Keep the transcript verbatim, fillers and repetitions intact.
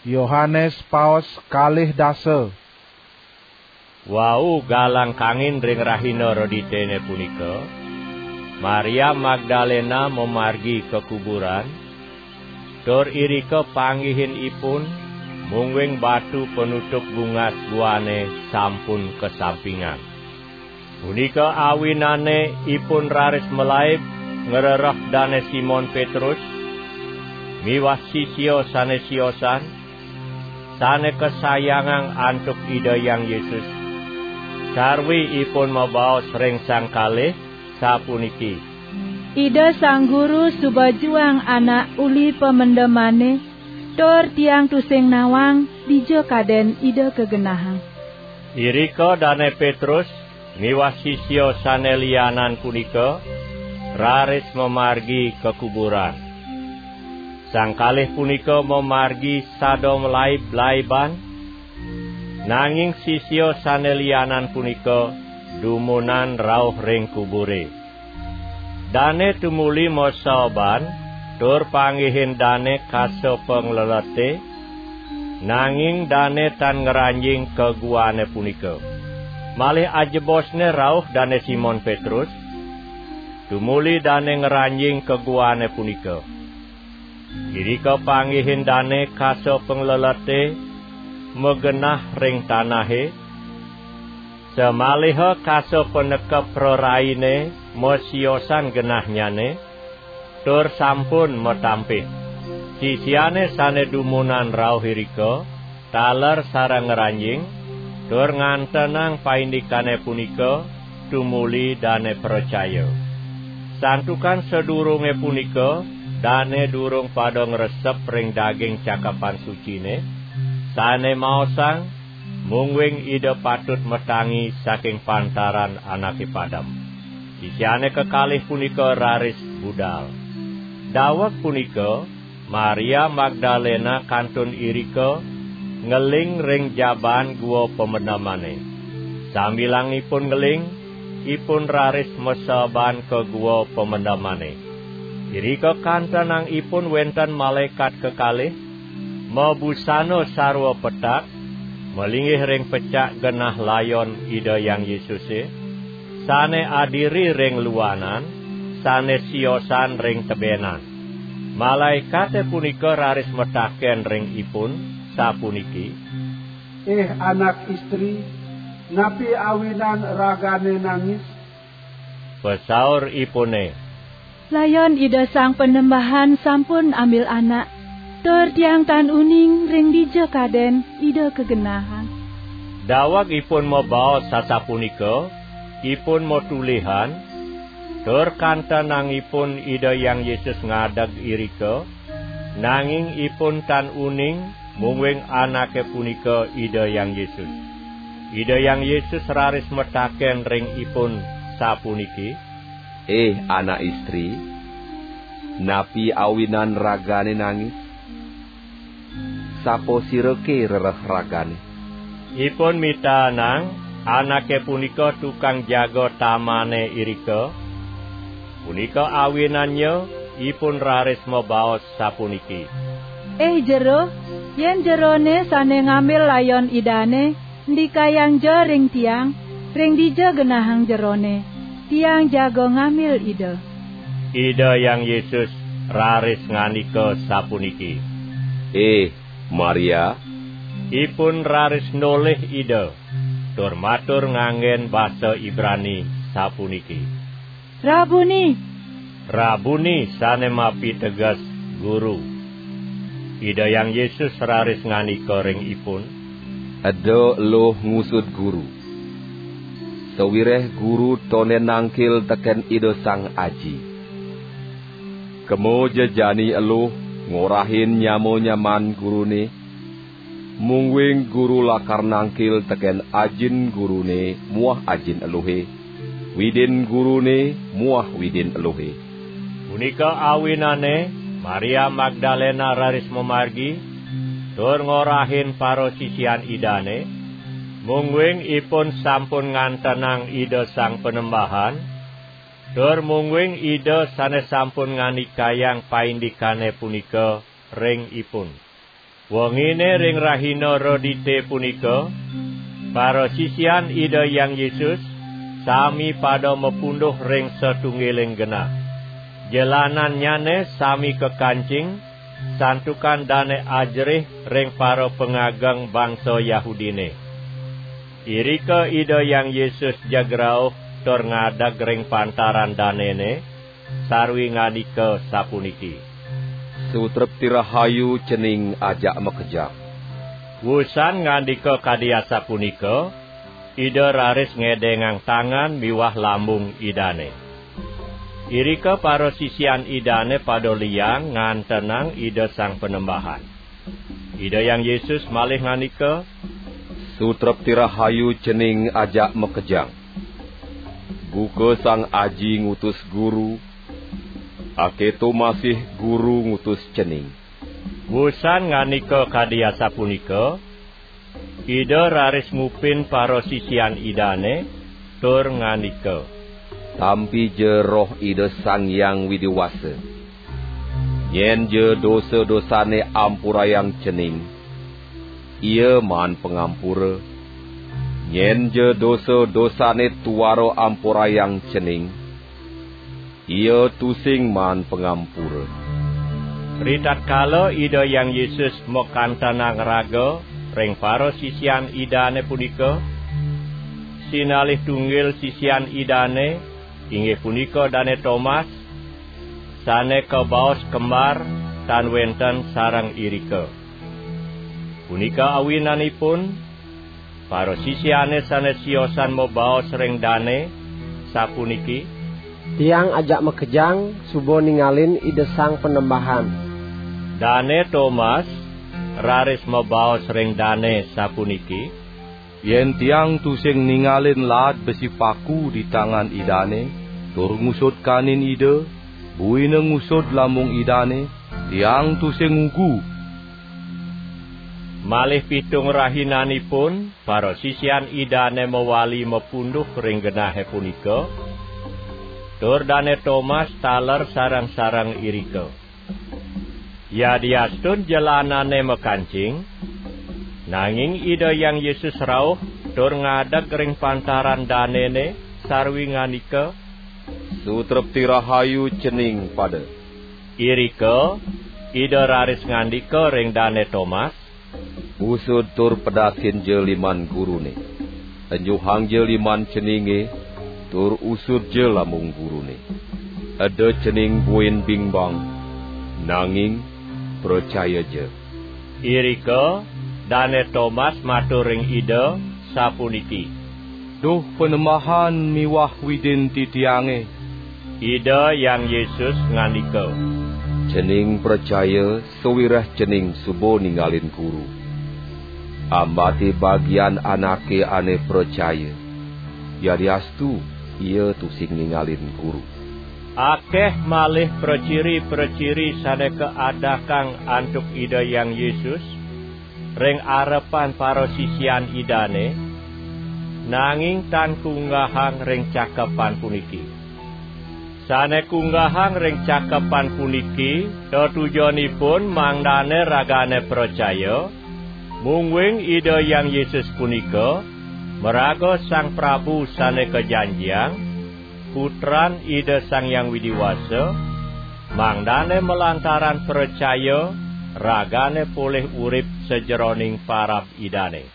Yohanes Paus kalih dasa. Wau galang kangin ring rahina reditene punika, Maria Magdalena mamargi ka kuburan, tur irika panggihin ipun, mungguing batu panutup bungas guane sampun kasampingan. Punika awinane ipun raris malaib ngrereh Dane Simon Petrus miwah sisia sane siosan, sane kasayangang antuk Ida Hyang Yesus, sarwi ipun mabaos ring sang kalih, sapuniki: "Ida Sang Guru suba juang anak uli pamendemane, tur tiang tusing nawang dija kaden Ida kagenahang." Irika Dane Petrus miwah sisia sane lianan punika raris mamargi ka kuburan. Sang kalih punika mamargi sada malaib-laiban, nanging sisia sane lianan punika dumunan rauh ring kubure. Dane tumuli masaeban tur panggihin dane kasa panglelete, nanging dane tan ngranjing ka guane punika. Malih ajebosne rauh Dane Simon Petrus, tumuli dane ngranjing ka guane punika. Irika panggihin dane kasa panglelete magenah ring tanahe, samaliha kasa panekep praraine masiosan genahnyane, tur sampun matampih. Sisiane sane dumunan rauh irika taler sareng ngranjing, tur ngantenang paindikane punika tumuli dane pracaya. Santukan sadurunge punika dane durung pada ngresep ring daging Cakepan Sucine, sane maosang, mungguing Ida patut matangi saking pantaran anake padem. Sisiane kekalih punika raris budal. Daweg punika, Maria Magdalena kantun irika ngeling ring jaban gua pamendemane. Sambilangipun ngeling, ipun raris masaeban ka gua pamendemane. Irika kantenang ipun wenten malaekat kekalih, mabusana sarwa petak, malinggih ring pecak genah layon Ida Hyang Yesuse, sane adiri ring luanan, sane siosan ring tebenan. Malaekate punika raris mataken ring ipun, sapuniki: "Ih anak istri, napi awinan ragane nangis?" Pasauripune: "Layon Ida Sang Panembahan sampun ambil anak, tur tiang tan uning ring dija kaden Ida kagenahang." Daweg ipun mabaos sasapunika, ipun matulihan, tur kantenangipun Ida Hyang Yesus ngadeg irika, nanging ipun tan uning, mungguing anake punika Ida Hyang Yesus. Ida Hyang Yesus raris mataken ring ipun, sapuniki: "Ih anak istri, napi awinan ragane nangis? Sapa sirake rereh ragane?" Ipun mitaenang anake punika tukang jaga tamane irika. Punika awinannya ipun raris mabaos sapuniki: "Ih jero, yen jerone sane ngambil layon Idane, ndikayang ja ring tiang, ring dija genahang jerone. Tiang jaga ngambil Ida." Ida Hyang Yesus raris ngandika sapuniki: "Ih, Maria!" Ipun raris nolih Ida, tur matur nganggen basa Ibrani, sapuniki: "Rabuni!" Rabuni sane mapiteges Guru. Ida Hyang Yesus raris ngandika ring ipun: "Eda eluh ngusud Guru, sawireh Guru tonden nangkil teken Ida Sang Aji. Kema ja jani eluh ngorahin nyama-nyaman Gurune, mungguing Guru lakar nangkil teken Ajin Gurune muah Ajin eluhe, Widin Gurune muah Widin eluhe." Punika awinane Maria Magdalena raris mamargi, tur ngorahin parasisian Idane, mungguing ipun sampun ngantenang Ida Sang Panembahan, tur mungguing Ida sane sampun ngandikayang paindikane punika ring ipun. Wengine ring rahina Redite punika, parasisian Ida Hyang Yesus sami pada mapunduh ring satunggiling genah. Jelanannyane sami kakancing, santukan dane ajerih ring parapangageng bangsa Yahudine. Irika Ida Hyang Yesus jeg rauh tur ngadeg ring pantaran danene, sarwi ngandika sapuniki: "Sutrepti rahayu cening ajak makejang." Wusan ngandika kadi asapunika, Ida raris ngedengang tangan miwah lambung Idane. Irika parasisian Idane pada liang ngantenang Ida Sang Panembahan. Ida Hyang Yesus malih ngandika: "Sutrepti rahayu cening ajak makejang. Buka Sang Aji ngutus Guru, aketo masih Guru ngutus cening." Wusan ngandika kadi asapunika, Ida raris ngupin parasisian Idane tur ngandika: "Tampi ja Roh Ida Sang Hyang Widi Wasa. Nyen ja dosa-dosane ampurayang cening, ia maan pangampura. Nyen ja dosa-dosane tuara ampurayang cening, ia tusing maan pangampura." Ritatkala Ida Hyang Yesus makantenang raga ring parasisian Idane punika, sinalih tunggil sisian Idane, inggih punika Dane Tomas, sane kabaos kembar tan wenten sareng irika. Punika awinanipun, parasisiane sane siosan mabaos ring dane, sapuniki: "Tiang ajak makejang suba ningalin Ida Sang Panembahan." Dane Tomas raris mabaos ring dane, sapuniki: "Yen tiang tusing ningalin laad besi paku di tangan Idane, tur ngusud kanin Ida, buina ngusud lambung Idane, tiang tusing ngugu." Malih pitung rahinanipun, parasisian Idane mawali mapunduh ring genahe punika, tur Dane Tomas taler sareng-sareng irika. Yadiastun jelanane makancing, nanging Ida Hyang Yesus rauh tur ngadeg ring pantaran danene sarwi ngandika: "Sutrepti rahayu cening pada." Irika Ida raris ngandika ring Dane Tomas: "Usud tur pedasin ja liman Gurune. Enjuhang ja liman ceninge, tur usud ja lambung Gurune. Eda cening buin bingbang, nanging pracaya ja." Irika Dane Tomas matur ring Ida, sapuniki: "Duh Panembahan miwah Widin titiange." Ida Hyang Yesus ngandika: "Cening pracaya sawireh cening suba ningalin Guru. Ambate bagian anake ane pracaya, yadiastu ia tusing ningalin Guru." Akeh malih praciri-praciri sane kaadakang antuk Ida Hyang Yesus ring arepan parasisian Idane, nanging tan kunggahang ring cakepan puniki. Sane kunggahang ring cakepan puniki tetujonipun mangdane ragane pracaya, mungguing Ida Hyang Yesus punika maraga Sang Prabu Sane Kajanjiang, Putran Ida Sang Hyang Widi Wasa, mangdane malantaran pracaya ragane polih urip sajeroning parab Idane.